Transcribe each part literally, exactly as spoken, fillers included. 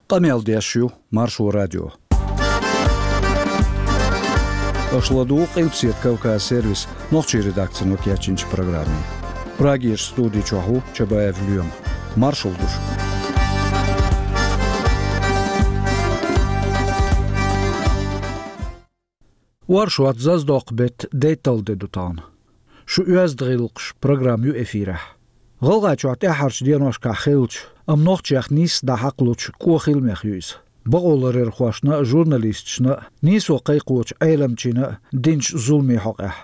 Къамел деш ю Маршо радио. Аша ладугӀу Къилбаседа Кавказ сервисан нохчийн редакцино кечйинчу программе. Прагерчу студи чохь ву Чабаев Лоьма. Маршалла ду шуьга. Оршот, Зазадоккху беттан дейтталгӀа де ду тахана. Шу оьзда гӀиллакхаш программа ю эфирехь. ГӀалгӀайчохь тӀаьххьарчу деношкахь хиллачу, амма нохчех нийсса дӀахьакхалучу кӀоа хиламех ю иза. Бакъоларъярхошна а, журналисташна а, нийсо кхайкхочу Ӏеламчина а динчу зуламийн хьокъехь.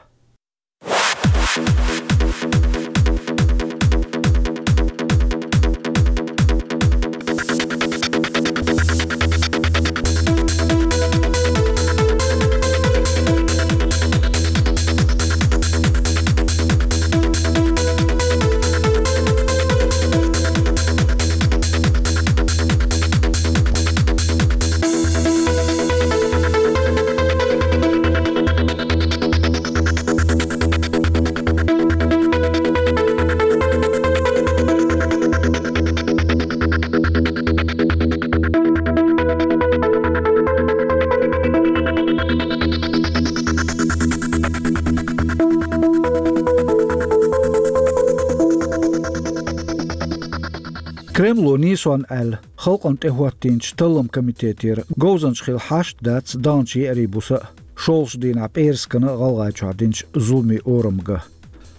Кремло нийсонна аьлла, халкъана тӀехӀоттийначу талламан комитетера говзанча хила хьашт дац даханчу еарин буса а, шолгӀачу дийнахь пӀераскана а ГӀалгӀайчохь динчу зуламийн орамга.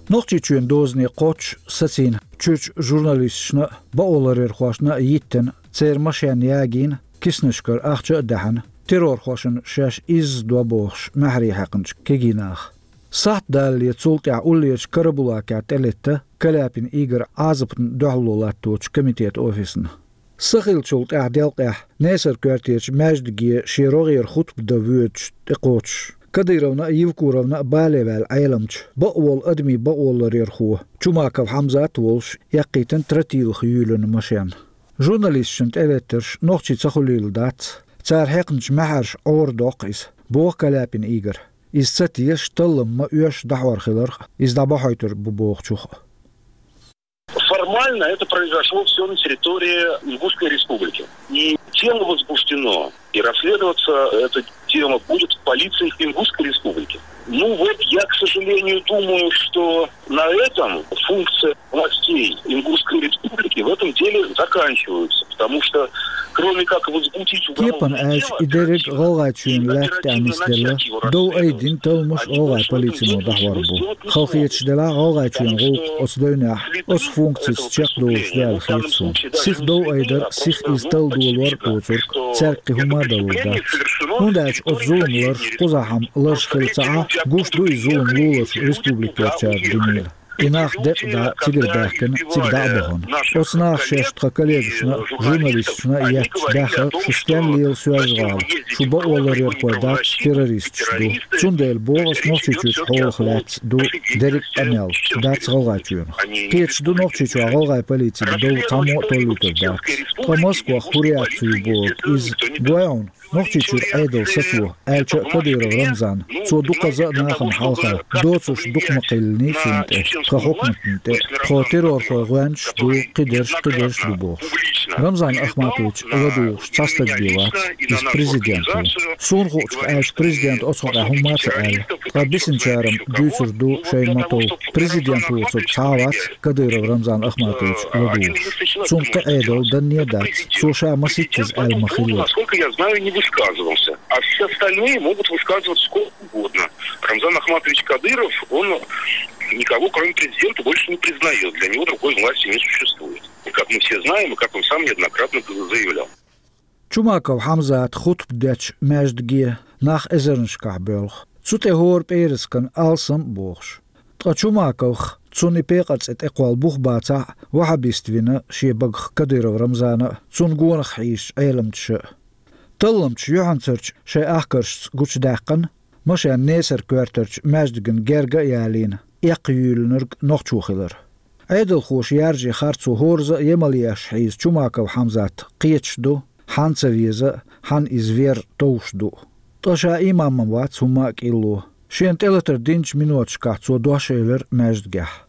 Нохчийчоьнан дозане кхоччуш сацийна чуьрачу журналисташна а, бакъоларъярхошна а йиттина, церан машен ягийна, киснашкара ахча а даьхьна, террорхошна шаьш изза до бохуш маьхьарий хьаькхначу кегий наха. Сахьт далале цул тӀаьхьа уллерчу Карабулакехь тӀелетта Каляпин Игорь Ӏазапна дуьхьало латточу комитетан офисна. Са хиллачул тӀаьхьа делкъехь Несар-коьртачу маьждиге шен рогӀера хутба дан воьдуш тӀекхочуш, Кадыровна а, Евкуровна а бале ваьлла Ӏеламча, бакъволу адамийн бакъоларъярхо Чумаков Хьамзат а волуш, эккхийтина тротилах юьйлина машен. Журналисташна тӀелеттарш нохчий ца хуьлийла дац, цара хьекхначу маьхьарша Ӏорадоккху иза, боху Каляпин Игорь. Иза ца теша, таллам ма оьшу дӀахьор хиларх, иза дӀабахьуьйтур бу бохучух а. Формально это произошло все на территории Ингушской республики. И дело возбуждено, и расследоваться эта тема будет в полиции Ингушской республики. Ну вот, я, к сожалению, думаю, что на этом функция властей Ингушской республики в этом деле заканчиваются, потому что кроме как возбудить уголовное дело, оперативно начать его расследование, оперативно начать его расследование, Кепана аьлча, и дерриг ГӀалгӀайчоьнан лаьтта тӀехь нисделла, дов айдина талламаш ГӀалгӀайн полицино дӀахьор бу. Хала хеташ делахь, ГӀалгӀайчоьнан гӀуллакх оцу девнехь оцу функцеца чекхдолуш ду аьлла хета суна. Сиха дов айдар, сиха иза талладолор а доцург, цаьрга кхин хӀумма а далур дац. ХӀунда аьлча оцу зулам ларш кхузахь-м ларш хилла ца Ӏа, гуш ду и зулам луларчу республикерчара динийла. И нах декъа да цигара баьхкина, цига дӀа а бахана. Оцу наха шаьш тхан коллегашна а, журналисташна а етташ баьхна, шу стенна лела Соьлжа-ГӀала, шу бакъоларъярхой дац, террористаш ду. Цундела боху ас, Нохчийчуьрчу хьолах лаьцна ду дерриг а къамел, дац ГӀалгӀайчоьнах. Кхеташ ду, Нохчийчохь ГӀалгӀайн полицига дов цхьаммо а толлуьйтур дац. Ткъа Москвахь хӀун реакци ю бохург иза, гой хьуна? Нохчийчуьра Ӏедал сацо, аьлча а Кадыров Рамзан, цо дукхаза а нахана хьалха доцурш дукха ма кхеллиний цунна тӀе, тхан хьукматна тӀе, тхо террорхойн гӀоьнчаш ду, кхидерш, кхидерш ду бохуш. Рамзан Ахматович ладугӀуш цхьа стаг бен вац, иза президент ву. Суна хуучух аьлча, президента оцу хьокъехь хӀумма а ца аьлла. Ткъа бисинчара-м дуьйцур ду шайна ма-тов, президент воцург цхьа а вац Кадыров Рамзан Ахматович ладугӀуш. Цунна кхин Ӏедал данне а дац, цо ша маситтаза аьлла ма-хиллара. Насколько я знаю, не высказывался. А все остальные могут высказываться сколько угодно. Рамзан Ахматович Кадыров, он никого, кроме президента, больше не признает. Для него другой власти не существует. И как мы все знаем, и как он сам неоднократно заявлял. Чумаков Хьамзата хутба дечу маьждиге нах эзарнашкахь боьлху. Цу тӀе хӀора пӀераскан алсам а бохуш. Ткъа Чумаковх, цунна и пекъар цӀе тӀекхолла бух бацахь а, ваххабист вина шен багах Кадыров Рамзана а, цунна гонах хьийзачу Ӏеламчаша а. Талламчаша юьхьанцарчу шайн ахкаршца гучудаьккхина машен Несар-коьртарчу маьждигна герга а ялийна, эккха юьйлинарг нохчо хилар. Ӏедалхоша яржийна харцо хӀоразза а емал еш хьийза Чумаков Хьамзат кхеташ ду, хьанна ца веза а, хьанна иза вер товш ду а. Ткъа ша имам-м вац, хӀумма а кӀилло. Шена тӀелатар динчу миноташкахь цо дош элира маьждигехь.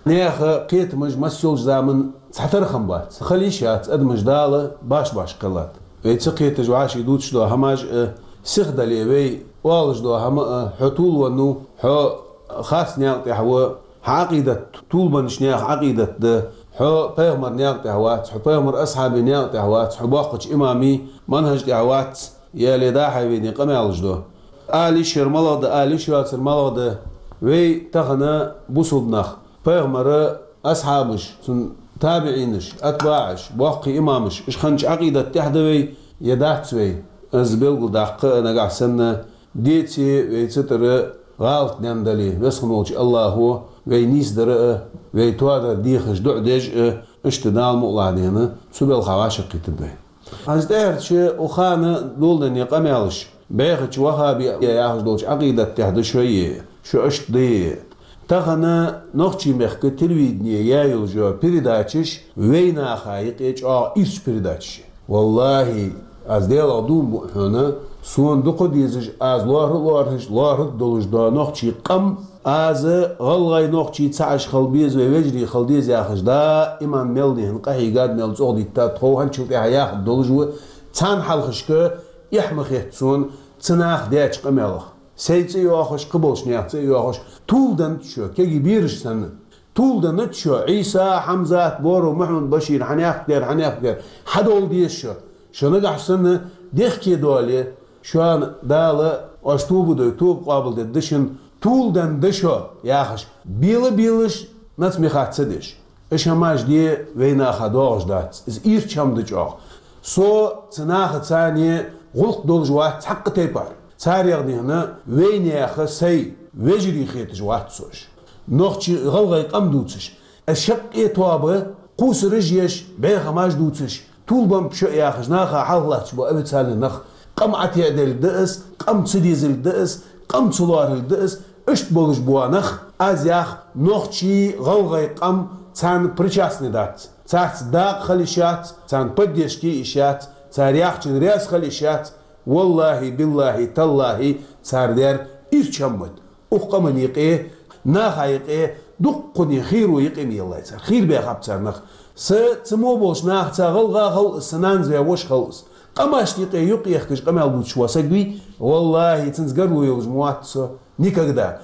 Неха кхетамаш массолча заман цхьатарра хам бац. Хала йиш яц адамаш Дала баш-баш кхеллад. Вай ца кхеташ вӀаши дувцаш дола хӀамаш а, сихдале вай оалаш дола хӀама а, хьо тулван ва, хьо харц наькъа тӀехь ва, хьа Ӏакъидат тулбанаш наьха Ӏакъидат да, хьо пайхамар наькъа тӀехь вац, хьо пайхамар асхьабий наькъа тӀехь вац, хьо боккхача имамий манхӀаж тӀехь вац, яле дахьа вайна къамаьлаш до. Ала йиш яр малагӀа да, ала йиш йоацар малагӀа да, вай тахан бусулба нах, пайхамара асхьабаш, цун табиӀинаш, атбаӀаш, боккхий имамаш, уж хиннача Ӏакъидат тӀехь да вай, е дац вай. Из белгалдаккха а нагахь санна, деце вай цу тӀара гӀалат даьнна дале, Веза хинна волча АллахӀо вай нийсдар а, вай тоадар дехаш дуӀа деш а, иштта Дала мукъалахь дена, цу балха вӀашагӀкхийттад вай. Аз тӀаьхьарча укх хана доладенна къамаьлаш, бӀехача ваххабий яхаш долча Ӏакъидат тӀехь да шоай, шо иштта да. Тахан нохчий мехка телевидене яь йола передачаш вайнаха юкъе чӀоагӀа ирча передачаш я. ВаллахӀи, аз Даьлах дув буъ хьона, сона дукха дезаш, аз лоархӀа а лоархӀаш, лоархӀаргдолаш дола нохчий къам, аз гӀалгӀай, нохчий цхьа уж хила беза, вай вежарий хила деза яхаш, даиман мел дихьа къахьийгад, мел цӀогӀа диттад, тхов хӀанзчул тӀехьа яхаргдолаш ва, царна хьалхашка эхь ма хет сона цу наха даьча къамаьлах. Сай цӀи йоахаш, кхыболча наьха цӀи йоахаш, тулденнад шо, кегий бераш санна. Тулденнад шо, Ӏийса, Хьамзат, Боро, Мухьаммад-Башир, хьанехк дер, хьанехк дер, хьадовла деза шо. Шо нагахь санна дехке доале, шоана Дала оаш тоба дой, тоба къоабалдергда шун, тулденнад шо, яхаш, бела-белаш, нацмехат ца деш. Уж хӀамаш де вайнаха доагӀаш дац. Из ирча хӀама да чӀоагӀа. Со цу нахаца гӀулакх долаш вац цхьаккха тайпара. Царех дийхьа вайнаьха сай вежарий хеташ вац со уж. Нохчий, гӀалгӀай къам дувцаш, шаккхе тоаба, кхувсараш еш, бӀехамаш дувцаш, тулбеннаб шо яхаш, наха хьалхалатташ бола официальни нах, къам ӀотеӀаделга да из, къам ца дезалга да из, къам ца лоархӀалга да из, иштта болаш бола нах, аз ях, нохчий, гӀалгӀай къам царна причастни дац. Царца дакъа хила йиш яц, царна поддержка е йиш яц, цар яхачунна раьза хила йиш яц. ВаллахӀи, биллахӀи, таллахӀи, цар дер ирча хӀама да. Укх къаман юкъе, наха юкъе дуккхане хийро юкъе ма еллай цар. Хийра баьхаб цар нах. Са цу мо болча нахаца гӀалгӀа хилва из, са нанас ваь воша хилва из. Къамашта юкъе юкъ ехкаш къамаьл дувцаш вола саг вий, валлахӀи, цунца гаргало йолаш ма вац со никогда.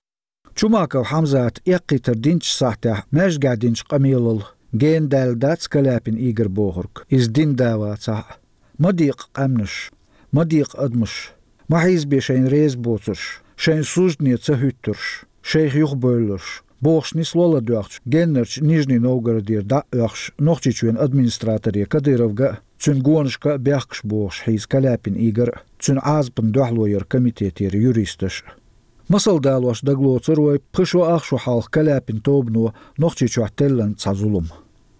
Чумаков Хьамзата эккхийтар динча сахьтехь маьждигехь динча къамелал гена даьлла дац Каляпин Игорь бохург, из дин да вацахь а. Ма декъа къаьмнаш, ма декъа адамаш, ма хьийзабе шайна реза боцурш, шайна суждане ца хӀуьттурш, шайх юхабевлларш, бохуш, нисло ладоьгӀча геннарча Нижний Новгородера дӀа а оьхуш, Нохчийчоьнан администраторе Кадыровга а, цуьнан гонашка а бехкаш бохуш хьийза Каляпин Игорь а, цуьнан Ӏазапна дуьхьало яр комитетера юристаш а. Масал далош дагалоцур вай пхи шо ах шо хьалха Каляпин тобано Нохчийчохь теллина цхьа зулам.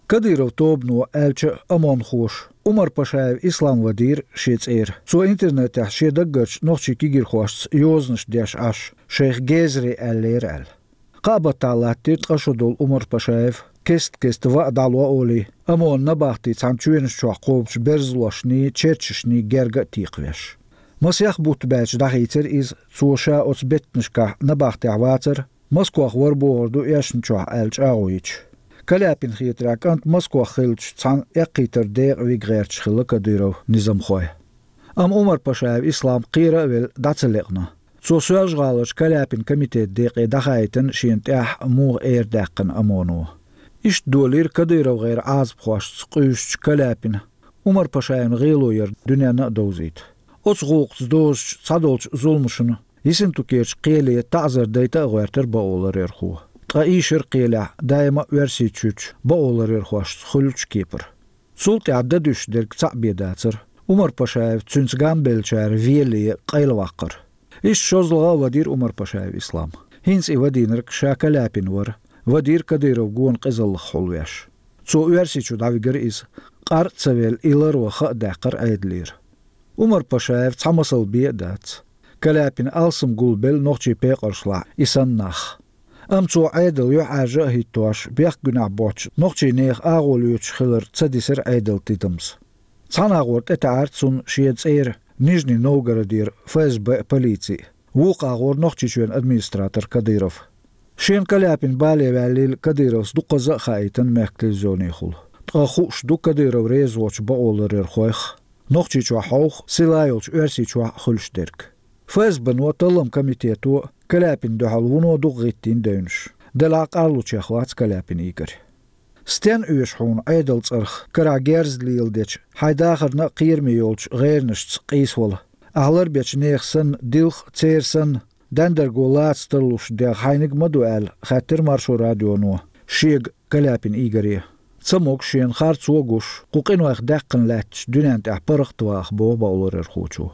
Кадыров тобано, аьлча а, ОМОНхоша Умарпашаев Ислам вадийра шен цӀера. Цо интернетехь шен даггарчу нохчийн кегийрхошца йозанаш деш Ӏаш, шайх гезаре аьллера аьлла. Кхаа баттахь латтийра ткъа шо долу Умарпашаев, кест-кеста ваа дӀало а олий, ОМОНан набахти цхьана чоьнаш чохь кхобучу берзалошний, черчашний герга а текхавеш. Масех бутт баьлча дӀахийцира иза, цо ша оцу беттанашкахь набахтехь вацара, Москох вара бохур ду эшначохь аьлла чӀагӀо йича. Каляпина хетарехь, кӀант Москох хиллачу цхьана эккхийтар декъа вига гӀерташ хилла Кадыров низамхой. Амма Умарпашаев Ислам кхера а велла дӀа ца лекъна. Цо Соьлжа-ГӀаларчу Каляпин комитетан декъе дӀахаийтина шена тӀехь муха эр даьккхина ОМОНо. Иштта долийра КадыровгӀеран Ӏазапхошца къуьйсучу Каляпина Умарпашаевна гӀело яр дуьненна а довзийта. Оцу гӀуллакхца дозучу цхьадолчу зуламашна Ессентукерчу кхеле таӀзар дайта а гӀоьртира бакъоларъярхо. Ткъа ийшар кхелехь даима а Оьрсийчуьрчу бакъоларъярхошца хуьлучу кепара. Цул тӀаьхьа дан дуьсуш дерг цхьаъ бен дацара. Умарпашаев, цуьнца гамбеллачара велле, къайла ваккхара. Иштта шозлагӀа а вадийра Умарпашаев Ислам. ХӀинца и вадийнарг ша Каляпин вара, вадийра Кадыровн гонан къизаллах хьулвеш. Цо Оьрсийчу дӀавигара иза, къар а ца велла, и ларван ха а даьккхира Ӏедалера. Умарпашаев цхьа масал бен а дац. Каляпина алсам гулбелла нохчийн пекъаршлахь и санна нах. Амма цо Ӏедал юьхьӀаьржа а хӀиттош, бехк-гуьнахь боцчу нохчийн нехан агӀо лоьцуш хилар ца дисира Ӏедалан тидамца. Цхьана агӀор тӀетаьӀара цунна шен цӀера Нижний Новгородера ФСБ а, полици а, вукху агӀор Нохчийчоьнан администратор Кадыров. Шен Каляпин бале ваьллийла Кадыровс дукхазза а хаийтина мехка телевизионехула. Ткъа хууш ду Кадыров реза воцчу бакъоларъярхойх, Нохчийчохь хьовха, сила йолчу Оьрсийчохь а хуьлуш дерг. ФСБ-но, таллам комитето Каляпин дуьхьал вуно дукха гӀиттийна девнаш. Делахь къарлучех вац Каляпин Игорь. Стенна оьшу хьуна Ӏедал цӀарах карахь герз леладечу, хьайн дахарна а кхераме йолчу гӀеранашца къийсавала? Ахь ларбечу нехан санна, дилха а церан санна, дендарго лаца тарлуш дегӀ хьайниг ма ду аьлла, хаьттира Маршо радионо шега Каляпин Игоре. Ца могуш, шена харцо а гуш, кху къинойх даьккхина лаьтташ дуьнен тӀехь паргӀат ваха, боху бакъоларъярхочо.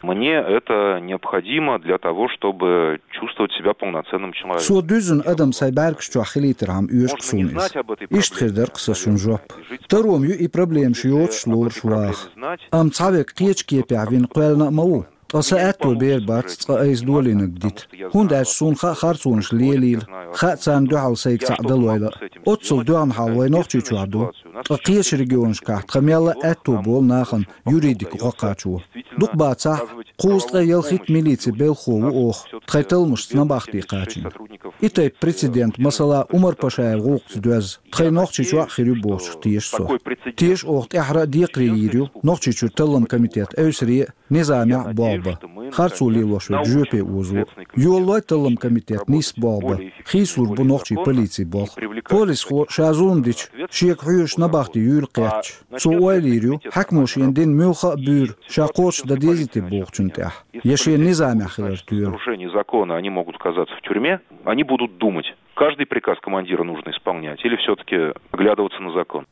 Мне это необходимо для того, чтобы чувствовать себя полноценным человеком. Со дуьззина адам сайн бӀаьргаш чохь хилийтархьама оьшу суна иза. Иштта хир дара-кх сан шун жоп. Таро-м ю и проблемаш йоцуш лоруш ваха. Амма цхьаверг кхечу кепехь вина кхоьллина а ма ву. Ткъа сан аьтто бер бац цкъа айса долийнарг дита, хӀунда аьлча суна хаьа харцонаш лелийла, хаьа царна дуьхьал сайга цхьаъ далойла а. Оццул доьгӀна хьал вай Нохчийчохь ду. Ткъа кхечу регионашкахь тхан мелла а аьтто болу нахана юридика гӀо кхачо. Дукха бацахь, кхузткъе ялхитта милицин белхахо ву оха, тхайн талламашца набахти кхачийна. И тайпа прецедент, масала, Умар-Пашаев гӀуллакхца доьзна, тхайн Нохчийчохь а хир ю бохучух теша со. Теша оха тӀаьххьара а декхаре йийр ю Нохчийчуьра таллам комитет эвсаре а, низамехь а болх бан, харцо лелош верг жоьпе озо. Йолалой таллам комитет нийсса болх бан, хийцалур бу нохчийн полицин болх. Полисхо ша зулам дича, шега хьоьжуш набахти юйла кхеттача, цо ойла йийр ю, хьаькамо шена дина муьлхха а буьйр ша кхочушдан дезий те бохучунна тӀехь, я шена низамехь хилар тоьлу. Нарушение закона, они могут оказаться в тюрьме, они будут думать, каждый приказ командира нужно исполнять или всё-таки оглядываться на закон.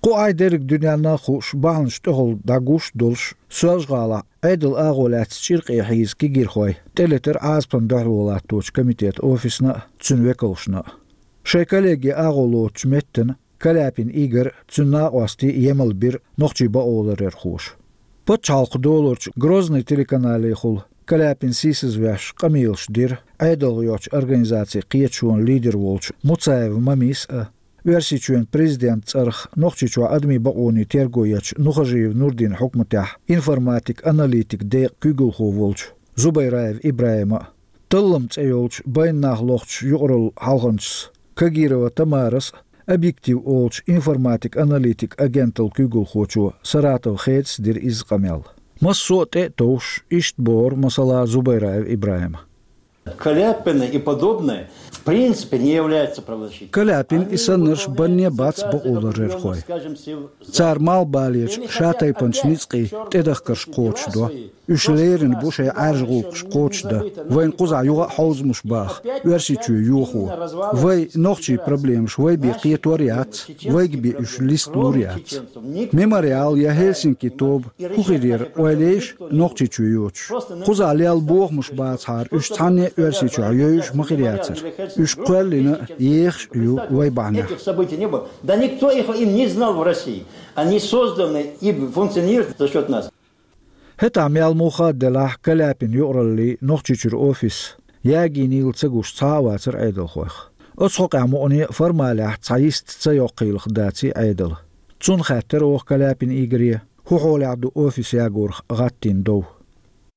Кху Ӏай дерриг дуьненна а хууш, бахьанаш тӀехула дӀагуш а долуш, Соьлжа-ГӀалахь Ӏедалан агӀо лаьцна чӀиркъе хьийза кегийрхой тӀелетира Ӏазапан дуьхьало латточу комитетан офисна а, цуьнан векалшна а. Шайн коллеге агӀо лоцучу меттана Каляпин Игорь а, цуьнан накъостий а емал бира нохчийн бакъоларъярхоша. Пачхьалкхан долорчу Грозный телеканалехула Каляпин сийсазвеш къамелаш дира ӀедалгӀа йоцчу организацин кхеташонан лидер волчу Муцаев Мамис а, Оьрсийчоьнан президентан цӀарах Нохчийчохь адамийн бакъонийн терго ечу Нухажиев Нурдинан хьукматехь информатик-аналитик декъан куьйгалхо волчу Зубайраев ИбрахӀима а. Таллам цӀе йолчу байна нах лохучу юкъаралла хьалханчас Кагирова Тамарас а, «Объектив» олучу информатик-аналитик агенталла куьйгалхочо Саратов Хедас дира изза къамел. Массо а тӀе а товш, иштта бохура, масала, Зубайраев ИбрахӀима. Каляпины и подобные, в принципе, не являются правозащитниками. Каляпин и саннарш банне бац бакъоларъярхой. Цара малхбалерчу шатайпанчу ницкъийн тӀедахкарш кхочушдо. Уьш лерина бу шайн Ӏаьржа гӀуллакхаш кхочушдан, вайна кхузахь юха а хьовзамаш баха, Оьрсийчоь йохо. Вай нохчийн проблемаш вай бен кхетор а яц, вайга бен уьш листа лур а яц. Мемориал я Хельсинки тоба хӀун хир яра, ойла ейша, Нохчийчоь йоцуш? Кхузахь лелла бохамаш бацахьара, уьш цхьанне а Оьрсийчохь йовзаш ма хир яцара. Уьш кхоьллина а, ехаш а ю вай бахьанехь. Этих событий не было. Да никто их, им не знал в России. Они созданы и функционируют за счёт нас. ХӀетахь мел муха а делахь, Каляпин юкъараллин Нохчийчуьра офис ягийнийла ца гуш цхьа а вацара Ӏедалхойх. Оцу хьокъехь мукъане а формалехь цхьа йист ца йоккхийлах даций Ӏедал. Цунна хаьттира оха Каляпин Игоре, хӀун хьолехь ду офис ягорах гӀаттийна дов.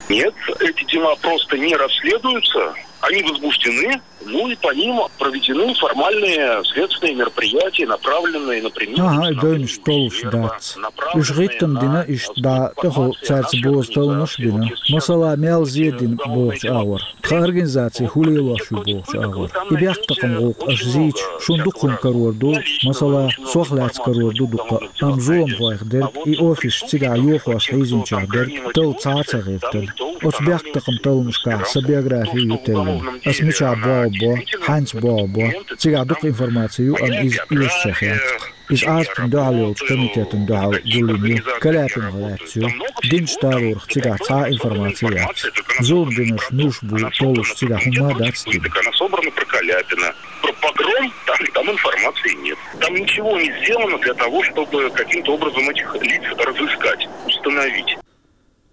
Нет, эти дела просто не расследуются, они возбуждены, ну и по ним проведены формальные следственные мероприятия, направленные, например, на ХӀан-хӀа, и девнаш толлуш дац. Уьш гӀиттам дина, иштта дӀа тӀехула цаьрца бозу талламаш а бина, масала, мел зе дина бохучу агӀор, тхан организаци хӀун лелош ю бохучу агӀор. И бехктакхаман гӀуллакх аша зийча, шуна дукха хӀума карор ду, масала, сох лаьцна карор ду дуккха а, амма зуламхойх дерг, и офисаш цигахь йохош хьийзинчех дерг талла цхьа а ца гӀиртина. Оцу бехктакхаман талламашкахь сан биографи ю теллина. Ас мичахь болх бо, хьаьнца болх бо, цигахь дукха информаци ю, амма иза оьшучех яц-кх. Иза Ӏазапна дуьхьал йолчу комитетана дуьхьал гулйина ю, Каляпинах лаьцна ю. Динчу талорах цигахь цхьа а информаци яц. Зулам динарш муьлш бу толлуш цигахь хӀумма а дац дина. Она собрана про Каляпина. Про погром там, там информации нет. Там ничего не сделано для того, чтобы каким-то образом этих лиц разыскать, установить.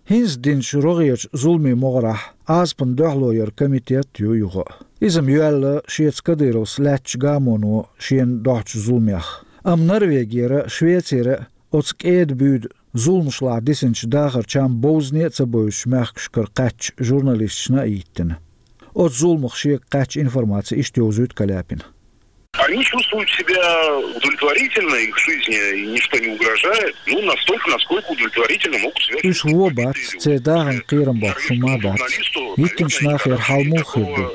ХӀинца динчу рогӀерчу зуламийн могӀарехь Ӏазапна дуьхьало яран комитет ю юха а. Иза-м йоьлла шеца Кадыровс лаьттачу гамоно шена дохьучу зуламех. Амма Норвегера, Швецера оцу кӀеда-буьйда зуламашлахь дисинчу дахарчам бовзане а ца бовзучу мехкашкара кхаьчначу журналисташна а йиттина. Оцу зуламах шега кхаьчна информаци иштта йовзуьйту Каляпина. Они чувствуют себя удовлетворительно, их жизни ничто не угрожает, ну, настолько, насколько удовлетворительно могут себя чувствовать. Уьш вон бац, церан дахарна кхерам боккхуш хӀума дац. Йиттинчу нахера хьал муха хир ду?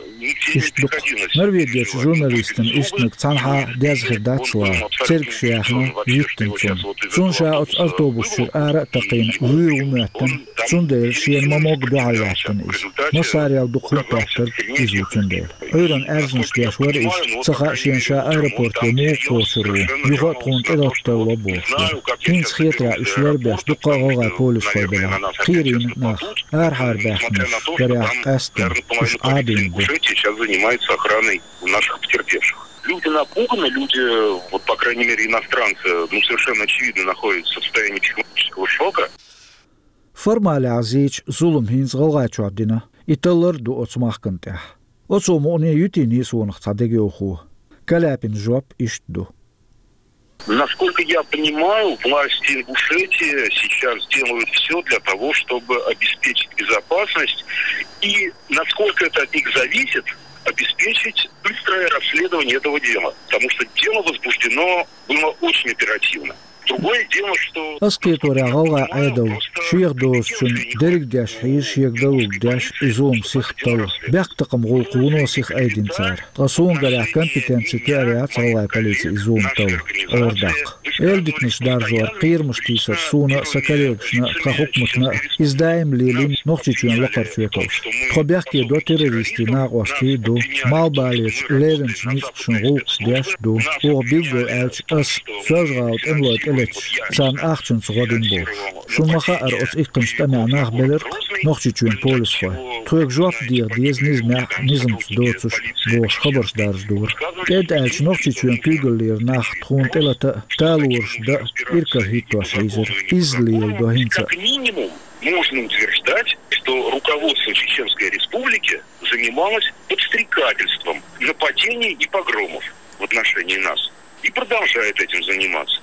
Иштта ду-кх. Норвегерчу журналистана истинарг цхьанхьа деза хир дац ла, цергаш яьхна йиттина цунна. Цунна ша оцу автобус чуьра ара а такхийна, вуьйр ву моьттина, цундела шена ма-могга дуьхьал лаьттина иза. Массарел дукха хӀума петтарг иза ву цундела. Ӏуьйранна аьрзнаш деш вара иза, ца хаьа шена ша аэропорте муха кхочур ву, юха а тхуна тӀелатта талло бохуш вара. ХӀинца хетарехь уьш ларбеш дуккха а гӀалгӀай полисхой белахь, кхерийна нах, арахьара баьхкинарш, гарехь, къаьсттина, уьш Ӏадийна бу. Сейчас занимается охраной наших потерпевших. Люди напуганы, люди, вот, по крайней мере, иностранцы, ну, совершенно очевидно, находятся в состоянии психологического шока. Формалехь зийча зулам хӀинца ГӀалгӀайчохь дина, и таллар а ду оцу махкана тӀехь. Оцо мукъане юьтий нийсонах цхьа дегайовхо. Каляпина жоп иштта ду. Насколько я понимаю, власти Ингушетии сейчас делают все для того, чтобы обеспечить безопасность и, насколько это от них зависит, обеспечить быстрое расследование этого дела, потому что дело возбуждено было очень оперативно. Другое дело, что... Ас кхеторехь гӀалгӀай Ӏедал шех дозучун дерриг деш хьийза, шега далург деш, и зулам сиха талла. Бехктакхаман гӀуллакх вуно сиха айдина цара. Ткъа суна гарехь компетенци тоьар яц гӀалгӀай полицин и зулам талла, ара даккха. Эладитанаш даржор, кхерамаш тийсар суна а, сан коллегашна а, тхан хьукматна а иза даим лелийна Нохчийчоьнан лакхарчу векалша. Тхо бехке до террористийн, накъостийн а ду, малхбалерчу лерринчу ницкъашна гӀуллакхаш деш а ду, оха билггал аьлча ас, Соьлжа-ГӀалин тӀемалой тӀелеташ, царна ахчанца гӀо дина бохуш. Шуна ма хаъара, оцу иккхинчу тӀамехь нах белира-кх Нохчийчоьнан полисхой. Тхоьга жоп деха деза низамехь, низамца доцуш, бохуш хабарш даржадора. КӀеда аьлча, Нохчийчоьнан куьйгаллера нах тхуна тӀелата а, талораш дан а иракарахӀиттош хьийзира. Изза леладо хӀинца а. Как минимум, можно утверждать, что руководство Чеченской Республики занималось подстрекательством нападений и погромов в отношении нас. И продолжает этим заниматься.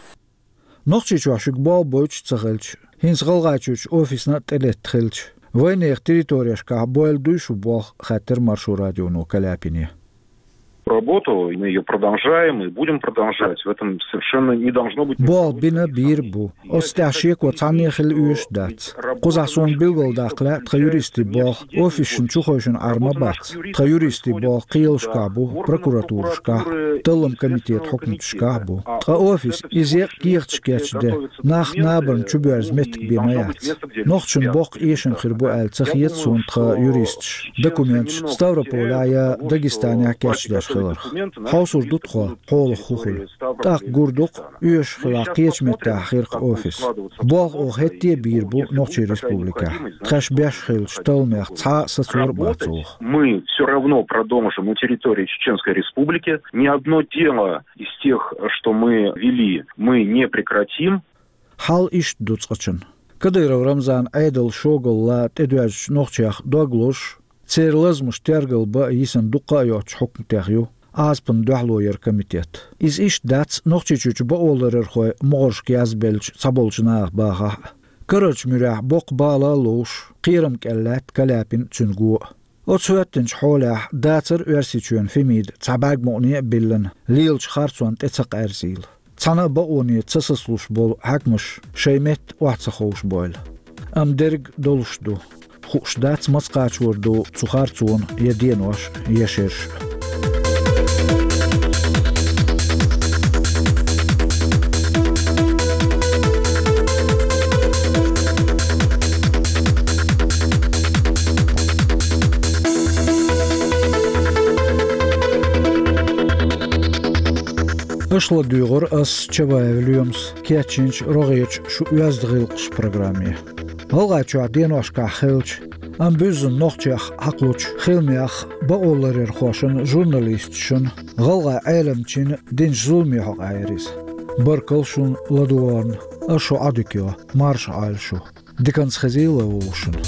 Нохчийчохь шуьга болх бойтуш а ца хилча, хӀинца ГӀалгӀайчуьрчу офисна а тӀелетта хилча, вайнехан территорешкахь бойла дуй шу болх, хаьттира Маршо радионо Каляпине. Работу, и мы её продолжаем и будем продолжать. В этом совершенно не должно быть никакого сомнения. Болх бина бийр а бу. Оцу тӀехь шеко цхьанне хила оьшуш дац. Кхузахь суна билгалдаккха лаьа тхан юристийн болх офисашна чухевшина Ӏар ма бац. Тхан юристийн болх кхелашкахь бу, прокуратурашкахь а, талламан комитетан хьукматашкахь а бу. Ткъа офис иза еккъа кехаташ кечде, нах набарна чубоьрза меттиг бен ма яц. Нохчашна боккха эшам хир бу аьлла ца хета суна тхан юристаш документаш Ставрополехь я Дагестанехь кечдеш хиларх. Хьовсур ду тхо, хьолах хӀун хуьлу. ТӀаккха гур ду-кх, оьшуш хилахь, кхечу меттехь хир-кх офис. Болх оха хӀетте а бийр бу Нохчийн Республикехь. Тхаьш беш хиллачу талламех цхьа а сацор а бац оха. Мы всё равно продолжим на территории Чеченской Республики. Ни одно дело из тех, что мы вели, мы не прекратим. Хьал иштта ду цкъачунна. Кадыров Рамзанан Ӏедалан шогалла тӀедоьжначу нохчех дог лозуш, церан лазамаш тергалбан а йисина дуккха а йоццучу хьукматех ю Ӏазапан дуьхьало яран комитет. Иза иштта дац Нохчийчуьрчу бакъоларъярхойн могӀаршка язбеллачу цхьаболчу наха бахахь а. Карарчу муьрехь боккха бала а ловш, кхерам кӀел лаьтта Каляпин а, цуьнан го а. Оцу хӀоьттинчу хьолехь дацара Оьрсийчоьнан Фемида цхьа бӀаьрг мукъане а биллина, лелачу харцонна тӀе ца къаьрзийла. Цхьана а бакъоне ца сацалуш болу хьаькамаш шайн метта охьа ца ховшабойла. Амма дерг долуш ду. Хууш дац, маца кхачор ду цу харцонан я денош, я шераш. Аша ладуьйгӀура ас, Чабаев Лоьмас, кечйинчу рогӀерчу «Шун оьзда гӀиллакхаш» программе. ГӀалгӀайчохь деношкахь хиллачу, амма буьззина нохчех хьакхучу хиламех бакъоларъярхошна, журналисташна, гӀалгӀай Ӏеламчина динчу зуламех хьокъаяра иза. Баркалла шуна ладугӀарна, ас шу Ӏодика йо, марша Ӏойла шу. Диканца хезийла вовшашна.